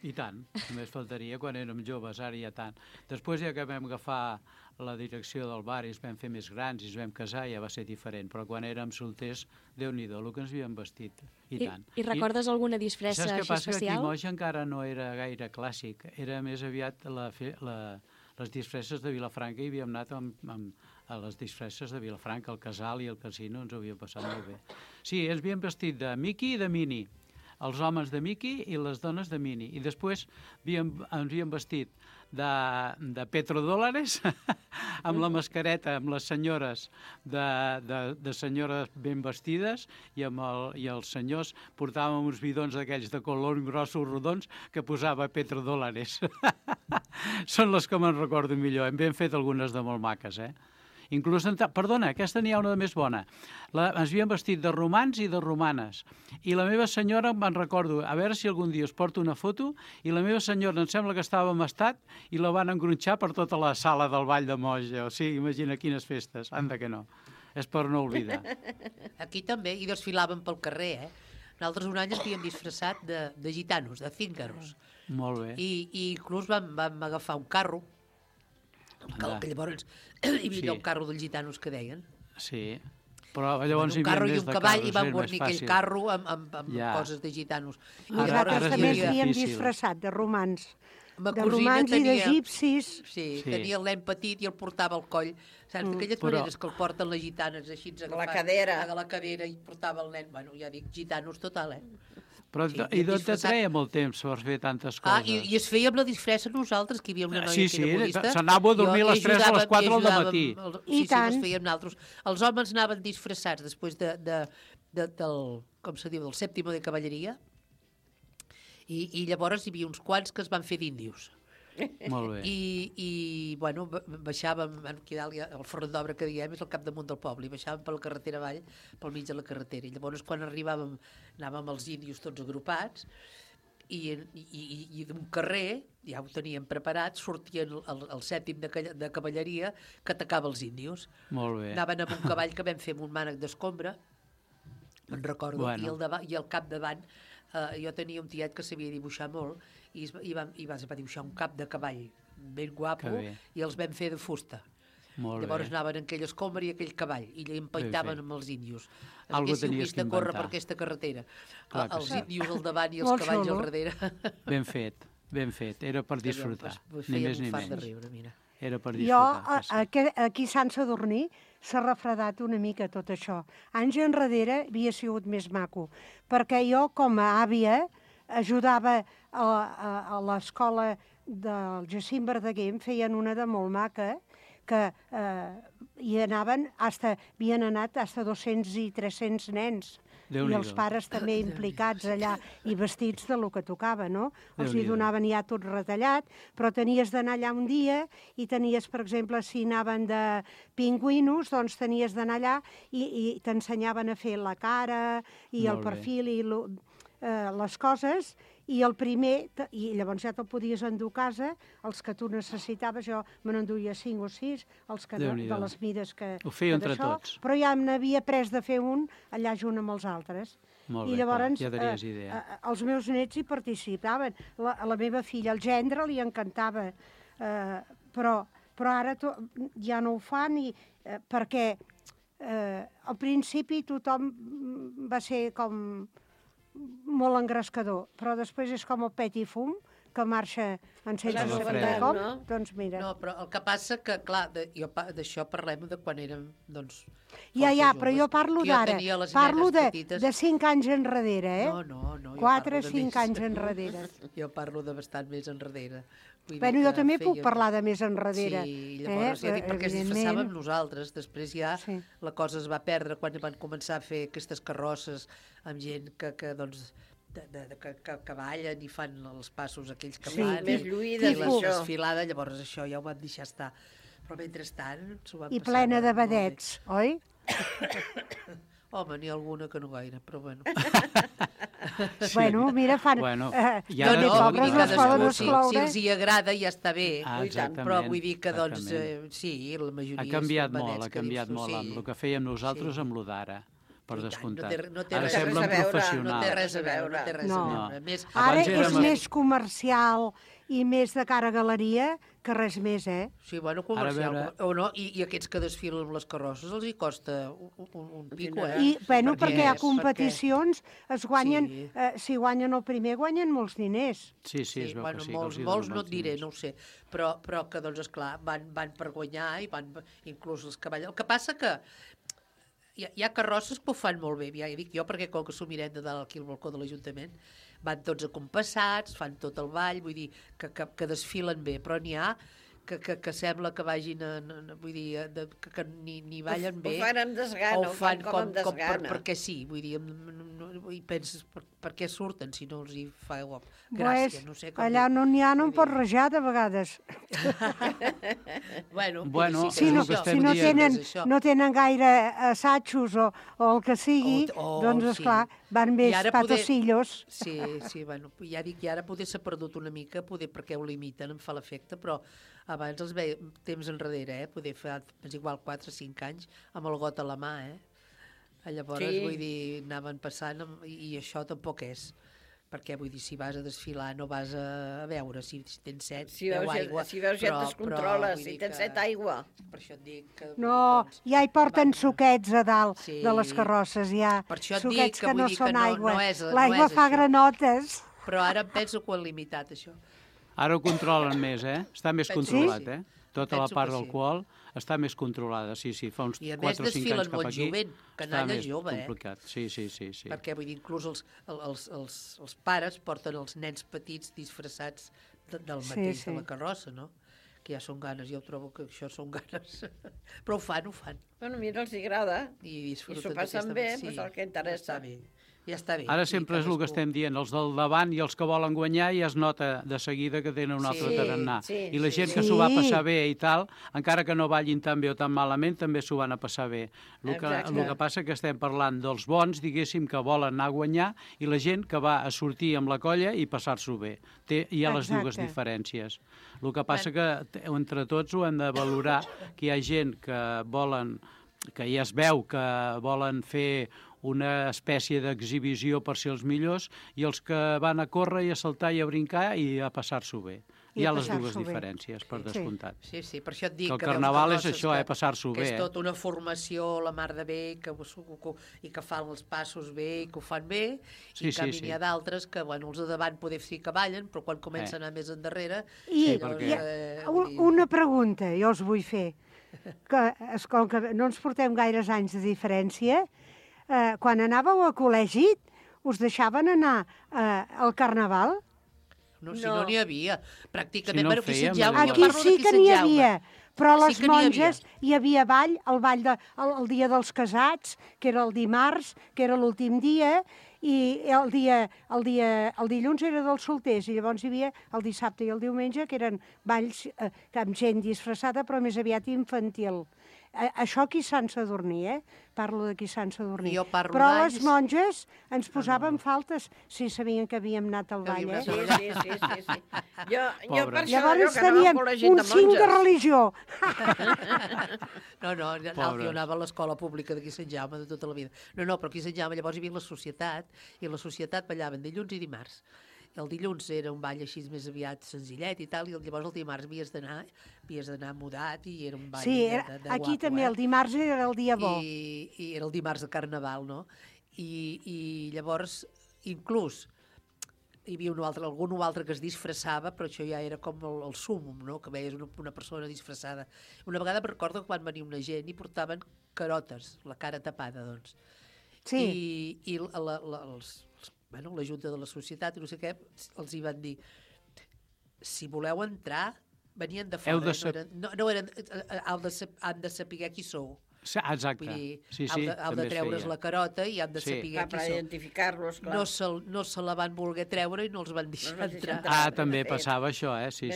I tant, només faltaria quan érem joves, ara ja tant. Després, ja que vam agafar la direcció del bar i ens vam fer més grans i ens vam casar, ja va ser diferent. Però quan érem solters, Déu-n'hi-do, el que ens havíem vestit. I tant. I recordes alguna disfressa així especial? Saps què passa? Que Quimoix encara no era gaire clàssic. Era més aviat les disfresses de Vilafranca i havíem anat a les disfresses de Vilafranca, el casal i el casino, ens ho havíem passat molt bé. Sí, ens havíem vestit de Mickey i de Minnie, els homes de Mickey i les dones de Minnie. I després ens havíem vestit de petrodòlares, amb la mascareta, amb les senyores de senyores ben vestides, i els senyors portàvem uns bidons d'aquells de color grossos rodons que posava petrodòlares. Són les que me'n recordo millor. Hem ben fet algunes de molt maques, Inclús, perdona, aquesta n'hi ha una de més bona. Ens havíem vestit de romans i de romanes. I la meva senyora, me'n recordo, a veure si algun dia us porto una foto, i la meva senyora em sembla que estava en estat i la van engronxar per tota la sala del Ball de Moja. O sigui, imagina quines festes. Anda que no. És per no oblidar. Aquí també, i desfilaven pel carrer, Nosaltres un any ens havíem disfressat de gitanos, de cíngaros. Molt bé. I inclús vam agafar un carro, que llavors hi havia un carro dels gitanos que deien. Sí, però llavors un carro i un cavall i van guarnir aquell carro amb coses de gitanos. Nosaltres també ens havíem disfressat de romans. De romans i d'egipcis. Sí, tenia el nen petit i el portava al coll. Saps, d'aquelles maneres que el porten les gitanes així agafat a la cadera i portava el nen. Bueno, ja dic, gitanos total, Però i d'on te treia molt temps per fer tantes coses? I es feia amb la disfressa nosaltres, que hi havia una noia que era budista. Sí, s'anava a dormir a les 3 o a les 4 del matí. Sí, les fèiem nosaltres. Els homes anaven disfressats després del, com se diu, del sèptimo de cavalleria, i llavors hi havia uns quants que es van fer d'índios. Molt bé. I bueno, baixàvem, aquí dalt, el front d'obra que diem és el capdamunt del poble, i baixàvem per la carretera avall, pel mig de la carretera. I llavors, quan arribàvem, anàvem els índios tots agrupats, i d'un carrer, ja ho teníem preparat, sortien el sèptim de cavalleria que atacava els índios. Molt bé. Anaven amb un cavall que vam fer amb un mànec d'escombra, me'n recordo, i al capdavant jo tenia un tiet que sabia dibuixar molt, i va dibuixar un cap de cavall ben guapo, i els vam fer de fusta. Llavors anaven en aquella escombra i aquell cavall, i empaitaven amb els índios. Haguéssiu vist de córrer per aquesta carretera. Els índios al davant i els cavalls al darrere. Ben fet, ben fet. Era per disfrutar, ni més ni menys. Era per disfrutar. Jo, aquí a Sant Sadurní, s'ha refredat una mica tot això. Anys enrere havia sigut més maco, perquè jo, com a àvia, ajudava a l'escola del Jacint Verdaguer, em feien una de molt maca, que hi anaven, havien anat fins a 200 i 300 nens. I els pares també implicats allà i vestits de lo que tocava, no? Els hi donaven ja tot retallat, però tenies d'anar allà un dia i tenies, per exemple, si anaven de pingüinos, doncs tenies d'anar allà i t'ensenyaven a fer la cara i el perfil i les coses, i el primer, i llavors ja te'l podies endur a casa, els que tu necessitaves, jo me n'enduia 5 o 6, els que de les mides que... Ho feia entre tots. Però ja n'havia pres de fer un allà junt amb els altres. Molt bé, clar, ja tenies idea. Els meus nets hi participaven. A la meva filla, el gendre, li encantava. Però ara ja no ho fan, perquè al principi tothom va ser com molt engrescador, però després és com el pet i fum, que marxa en sense La saber novetat, com, no? doncs mira. No, però el que passa que, clar, d'això parlem de quan érem, doncs, Ja, però jo parlo que jo d'ara. tenia les Parlo nenes petites. de 5 anys enrere, eh? No, jo 4 o parlo de 5 més. anys enrere. Jo parlo de bastant més enrere. Vull dir Bueno, jo que també puc fèiem- parlar de més enrere. Sí, llavors ja dic perquè es evidentment. disfressàvem nosaltres. Després ja la cosa es va perdre quan van començar a fer aquestes carrosses amb gent que doncs, que ballen i fan els passos aquells que Sí, fan. més lluïdes, i la això. desfilada, llavors això ja ho van deixar estar. Però mentrestant s'ho van I passar plena de molt bé. vedets, oi? Home, n'hi ha alguna que no gaire, però bueno. Bueno, mira, fan... Bueno, i ara no, pobres vull dir no que es poden cadascú, si excloure. els hi agrada ja està bé, Ah, exactament, però vull dir que doncs, exactament. sí, la majoria Ha canviat són molt, vedets ha que canviat dius tu, molt amb el que fèiem nosaltres amb lo d'ara, per descomptat. no té Ara res a semblen veure, professionals. no té res a veure, no té res No. a veure. Més, Ara Abans és érem- més comercial i més de cara a galeria que res més, eh? Sí, bueno, comercial. Ara, a veure- O no, i aquests que desfilen amb les carrosses els hi costa un pico, eh? I, bueno, perquè a Perquè- competicions es guanyen, Sí. si guanyen el primer, guanyen molts diners. Sí, es veu bueno, que sí, molts, que els hi molts donen no et molts diré, diners. no ho sé, però que, doncs, esclar, van per guanyar i van, inclús els que ballen. El que passa que hi ha carrosses que ho fan molt bé, ja dic jo, perquè com que s'ho mirem de dalt aquí al balcó de l'Ajuntament, van tots acompassats, fan tot el ball, vull dir, que desfilen bé, però n'hi ha que sembla que vagin, vull dir, que ni ballen bé. Ho fan amb desgana, o ho fan com amb desgana. perquè sí, vull dir, i penses, per què surten si no els hi fa gràcia, no sé com allà dir. no n'hi ha, no en pots rajar de vegades. Bueno, si no, si no tenen gaire assajos o el que sigui, doncs, esclar, van més patacillos. Sí, bueno, ja dic, i ara poder s'ha perdut una mica, poder perquè ho limiten, em fa l'efecte, però abans els veia temps enrere, poder fer, és igual, 4 o 5 anys, amb el got a la mà, Llavors, vull dir, anaven passant, i això tampoc és. Perquè, vull dir, si vas a desfilar no vas a veure si tens set, beu aigua. Si veus gent es controla, si tens set aigua. Per això et dic que... No, ja hi porten suquets a dalt de les carrosses, ja. Per això et suquets dic que vull dir que aigua. no és L'aigua fa això. granotes. Però ara em penso que ho han limitat, això. Ara ho controlen més, Està més Penso controlat, que sí. Tota la Penso part que sí. d'alcohol està més controlada, sí, fa uns 4 o 5 I a anys més cap desfilen aquí. molt jovent, Està canalla més jove, complicat. Sí. Perquè, vull dir, inclús els pares porten els nens petits disfressats del mateix de la carrossa, no? Que ja són ganes, jo trobo que això són ganes. Però ho fan. Bueno, mira, els agrada. I s'ho passen bé, doncs el que interessa. Ja està bé. Ara sempre és el que estem dient, els del davant i els que volen guanyar ja es nota de seguida que tenen un altre tarannà. I la gent que s'ho va passar bé i tal, encara que no ballin tan bé o tan malament, també s'ho van a passar bé. El que passa que estem parlant dels bons, diguéssim, que volen anar a guanyar, i la gent que va a sortir amb la colla i passar-s'ho bé. Hi ha les dues diferències. El que passa que entre tots ho hem de valorar, que hi ha gent que volen, que ja es veu que volen fer una espècie d'exhibició per ser els millors, i els que van a córrer i a saltar i a brincar i a passar-s'ho bé. Hi ha les dues diferències, per descomptat. Sí, per això et dic que el carnaval és això, passar-s'ho bé. Que és tota una formació, la mar de bé, i que fan els passos bé, i que ho fan bé, i en canvi n'hi ha d'altres que, bueno, els de davant poder sí que ballen, però quan comencen a anar més endarrere... I una pregunta jo us vull fer, que com que no ens portem gaires anys de diferència, quan anàveu a col·legi, us deixaven anar al carnaval? No, si no n'hi havia. Pràcticament, aquí sí que n'hi havia, però a les monges hi havia ball, el dia dels casats, que era el dimarts, que era l'últim dia, i el dilluns era dels solters, i llavors hi havia el dissabte i el diumenge, que eren balls amb gent disfressada, però més aviat infantil. Això aquí a Sant Sadurní, Parlo d'aquí a Sant Sadurní. Però les monges ens posaven faltes si sabien que havíem anat al ball, Sí. Jo per això Llavors que anava teníem molt la gent un de cinc de monges. religió. Jo anava a l'escola pública d'aquí a Sant Jaume de tota la vida. No, però aquí a Sant Jaume llavors hi havia la societat, i la societat ballaven dilluns i dimarts. El dilluns era un ball així més aviat senzillet i tal, i llavors el dimarts havies d'anar mudat, i era un ball de guapo. Aquí també el dimarts era el dia bo. I era el dimarts de Carnaval, no? I llavors, inclús, hi havia algun altre que es disfressava, però això ja era com el súmum, no? Que veies una persona disfressada. Una vegada em recordo que quan venia una gent i portaven carotes, la cara tapada, doncs. Sí. I la Junta de la Societat i no sé què, els hi van dir, si voleu entrar, venien de fora, han de saber qui sou. Exacte. Vull dir, sí, heu de treure's la carota i han de saber qui per identificar-los, clar. No se la van voler treure i no els van deixar entrar. També passava això, sí.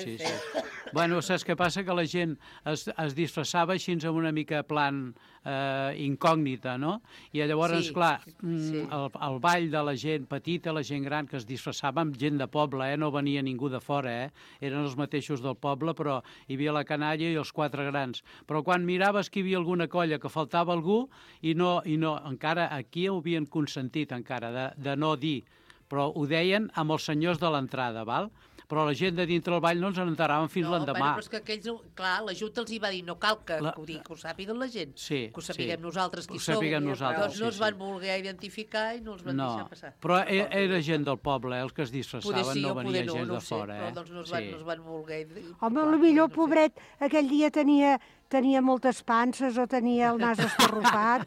Bueno, saps què passa? Que la gent es disfressava així amb una mica plan incògnita, no? I llavors, clar, el ball de la gent petita, la gent gran, que es disfressava amb gent de poble, no venia ningú de fora, eren els mateixos del poble, però hi havia la canalla i els 4 grans. Però quan miraves que hi havia alguna colla que faltava algú i no, encara aquí ho havien consentit encara de no dir, però ho deien amb els senyors de l'entrada, val? Però la gent de dintre del ball no ens n'enteraven fins l'endemà. Però és que aquells, clar, la Junta els hi va dir, no cal que ho sàpiguen la gent, que ho sapiguem nosaltres qui som. Doncs no es van voler identificar i no els van deixar passar. Però era gent del poble, els que es disfressaven, no venia gent de fora. Però doncs no es van voler... Home, potser, pobret, aquell dia tenia moltes panses o tenia el nas estarrufat.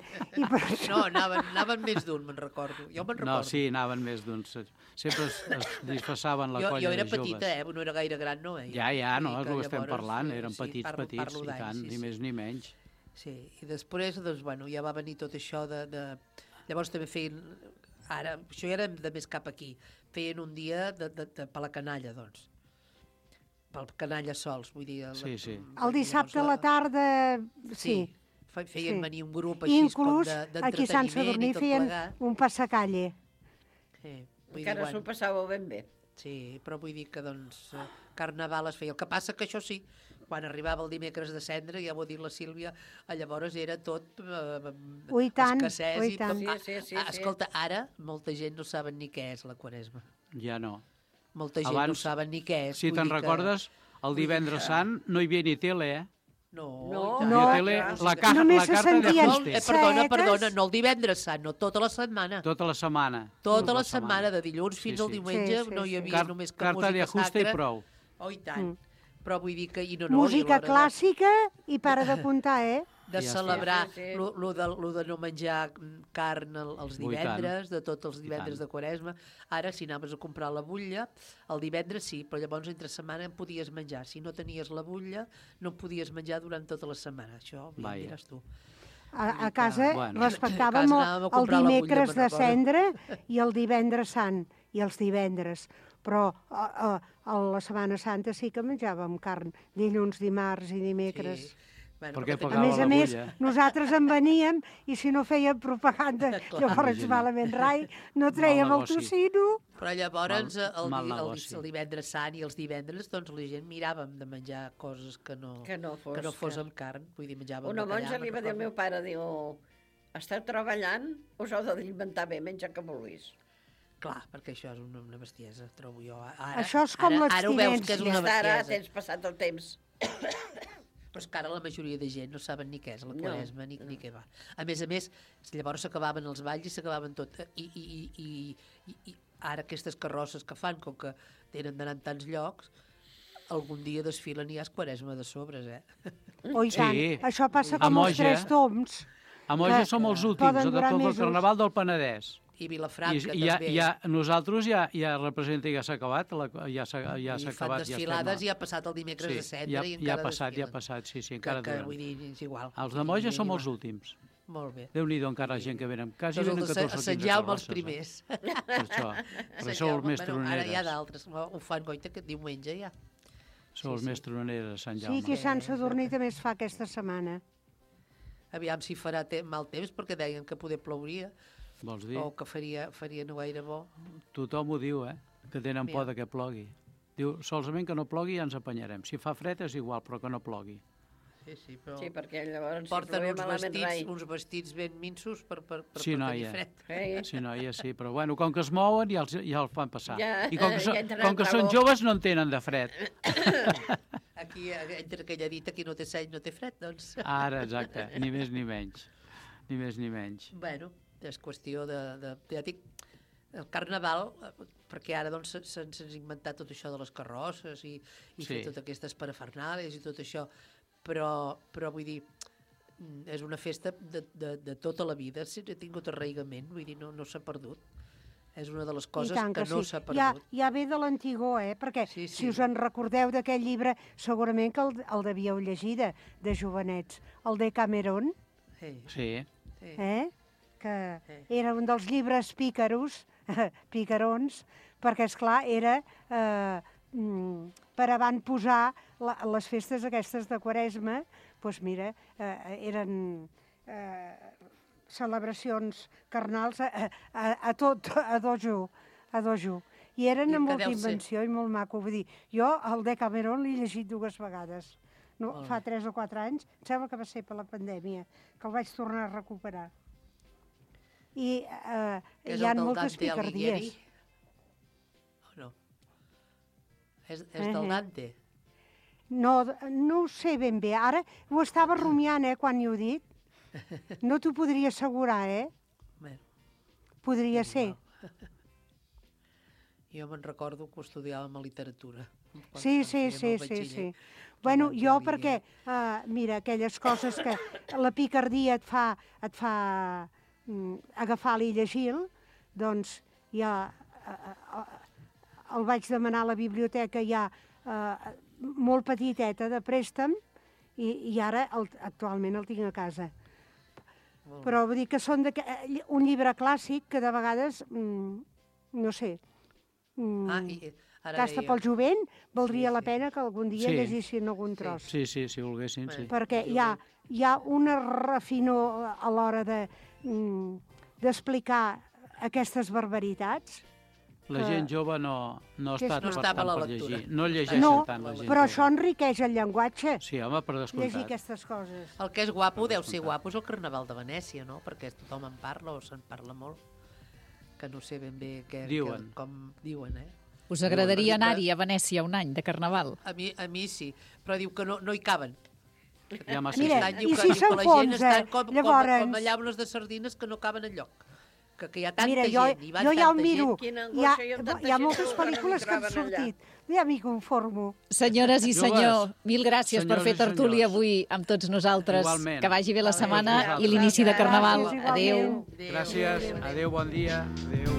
No, anaven més d'un, me'n recordo. Jo me'n recordo. No, sí, anaven més d'un. Sempre es disfressaven la colla de joves. Jo era petita, no era gaire gran, no? Ja, no, és el que estem parlant. Eren petits, i tant, ni més ni menys. Sí, i després, doncs, bueno, ja va venir tot això de... Llavors també feien... Ara, això ja era de més cap aquí. Feien un dia per la canalla, doncs. Pel canalla sols, vull dir... El dissabte a la tarda, sí. Feien venir un grup així com d'entreteniment i tot plegat. Inclús aquí a Sant Sadurní feien un passacalle. Encara s'ho passàveu ben bé. Sí, però vull dir que, doncs, Carnaval es feia. El que passa que això sí, quan arribava el dimecres de Cendra, ja ho ha dit la Sílvia, llavors era tot escassès. Sí. Escolta, ara molta gent no saben ni què és la Quaresma. Ja no. Molta gent no saben ni què és. Si te'n recordes, el divendres sant no hi havia ni tele, No, la carta de fusta. Perdona, no el divendres sant, no tota la setmana. Tota la setmana. Tota la setmana, de dilluns fins al diumenge, no hi havia només que música sacra. Carta de fusta i prou. Oh, i tant. Però vull dir que... Música clàssica i para de comptar, de celebrar lo de no menjar carn els divendres, de tots els divendres de Quaresma. Ara, si anaves a comprar la butlla, el divendres sí, però llavors entre setmana en podies menjar. Si no tenies la butlla, no podies menjar durant tota la setmana. Això ja em diràs tu. A casa respectàvem el dimecres de Cendra i el divendres sant, i els divendres. Però a la Setmana Santa sí que menjàvem carn, dilluns, dimarts i dimecres. A més, nosaltres en veníem i si no fèiem propaganda, llavors malament rai, no trèiem el tocino. Però llavors el divendres sant i els divendres doncs la gent miràvem de menjar coses que no fos amb carn. Vull dir, menjàvem una monja li va dir al meu pare, diu, esteu treballant, us heu d'alimentar bé, menja que vulguis. Clar, perquè això és una bestiesa, trobo jo. Això és com l'abstinència. Ara ho veus que és una bestiesa. Ara tens passat el temps. Però és que ara la majoria de gent no saben ni què és la Quaresma, ni què va. A més, llavors s'acabaven els balls i s'acabaven tot. I ara aquestes carrosses que fan, com que tenen d'anar en tants llocs, algun dia desfilen i hi ha Quaresma de sobres, Oh, i tant. Això passa com els 3 tombs. A Moja som els últims, de tot el Carnaval del Penedès. I Vilafranca també. Nosaltres ja representa, ja s'ha acabat. Ja s'ha acabat. I fan desfilades i ha passat el dimecres de Cendra i encara desfilen. Ja ha passat, sí, encara duren. Vull dir, és igual. Els de Moja som els últims. Molt bé. Déu-n'hi-do encara la gent que venen. Quasi venen 14 o 15 carrosses. Sant Jaume els primers. Per això els més troneres. Ara hi ha d'altres. Ho fan, goita, que diumenge ja. Són els més troneres de Sant Jaume. Sí, que Sant Sadurní també es fa aquesta setmana. Aviam si farà mal temps, perquè deien que poder plouria. Vols dir? O que faria no gaire bo. Tothom ho diu, que tenen por que plogui. Diu, solament que no plogui ja ens apanyarem. Si fa fred és igual, però que no plogui. Sí, però... Sí, perquè llavors porten uns vestits ben minsos per tenir fred. Sí, noia, sí, però bueno, com que es mouen ja els fan passar. I com que són joves no en tenen de fred. Aquí, entre aquella dita, qui no té seny no té fred, doncs. Ara, exacte, ni més ni menys. Ni més ni menys. Bueno, és qüestió de ja dic, el Carnaval, perquè ara doncs, s'han inventat tot això de les carrosses i fer totes aquestes parafernàlies i tot això, però vull dir, és una festa de tota la vida, ha tingut arraigament, vull dir, no s'ha perdut. És una de les coses que no s'ha perdut. Ja ve de l'antigor, perquè si us en recordeu d'aquest llibre, segurament que el devíeu llegir de jovenets, el Decameron. Sí. Que era un dels llibres picarons, perquè, esclar, era per avantposar les festes aquestes de Quaresma, doncs mira, eren celebracions carnals a dojo. I eren amb molta invenció i molt maco. Vull dir, jo el Decameron l'he llegit 2 vegades. Fa 3 o 4 anys, em sembla que va ser per la pandèmia, que el vaig tornar a recuperar. I hi ha moltes picardies. O no? És del Dante? No ho sé ben bé. Ara ho estava rumiant, quan hi ho he dit. No t'ho podria assegurar, Podria ser. Jo me'n recordo que ho estudiàvem a literatura. Sí. Bueno, jo perquè, mira, aquelles coses que la picardia et fa agafar-li i llegir-lo, doncs ja el vaig demanar a la biblioteca ja molt petiteta de préstec i ara actualment el tinc a casa. Però vull dir que són un llibre clàssic que de vegades, no sé, gasta pel jovent, valdria la pena que algun dia llegissin algun tros. Sí, si volguessin, sí. Perquè hi ha una refinor a l'hora d'explicar aquestes barbaritats. La gent jove no està per llegir. No llegeixen tant la gent jove. Però això enriqueix el llenguatge. Sí, home, per descomptat. Llegir aquestes coses. El que és guapo, deu ser guapo, és el Carnaval de Venècia, no? Perquè tothom en parla o se'n parla molt. Que no sé ben bé com diuen, Us agradaria anar-hi a Venècia un any de Carnaval? A mi sí, però diu que no hi caben. Mira, i si s'enfonsa, llavors... Com llaunes de sardines que no caben enlloc. Que hi ha tanta gent, hi va tanta gent. Jo ja ho miro. Hi ha moltes pel·lícules que han sortit. Ja m'hi conformo. Senyores i senyor, mil gràcies per fer tertúlia avui amb tots nosaltres. Que vagi bé la setmana i l'inici de Carnaval. Adéu. Gràcies. Adéu, bon dia. Adéu.